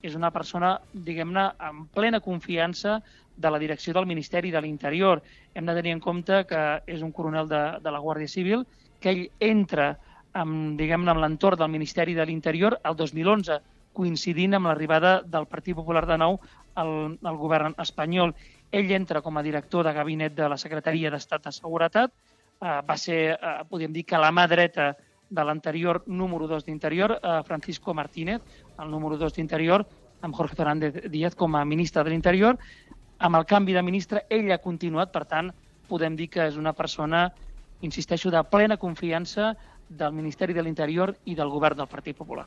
és una persona, diguem-ne, amb plena confiança de la direcció del Ministeri de l'Interior. Hem de tenir en compte que és un coronel de la Guàrdia Civil, que ell entra diguem-ne, en l'entorn del Ministeri de l'Interior el 2011, coincidint amb l'arribada del Partit Popular de nou al govern espanyol. Ell entra com a director de gabinet de la Secretaria d'Estat de Seguretat, va ser, podríem dir, que la mà dreta de l'anterior número 2 d'Interior, Francisco Martínez, el número 2 d'Interior, amb Jorge Fernández Díaz com a ministre de l'Interior. Amb el canvi de ministre, ell ha continuat, per tant, podem dir que és una persona, insisteixo, de plena confiança del Ministeri de l'Interior i del govern del Partit Popular.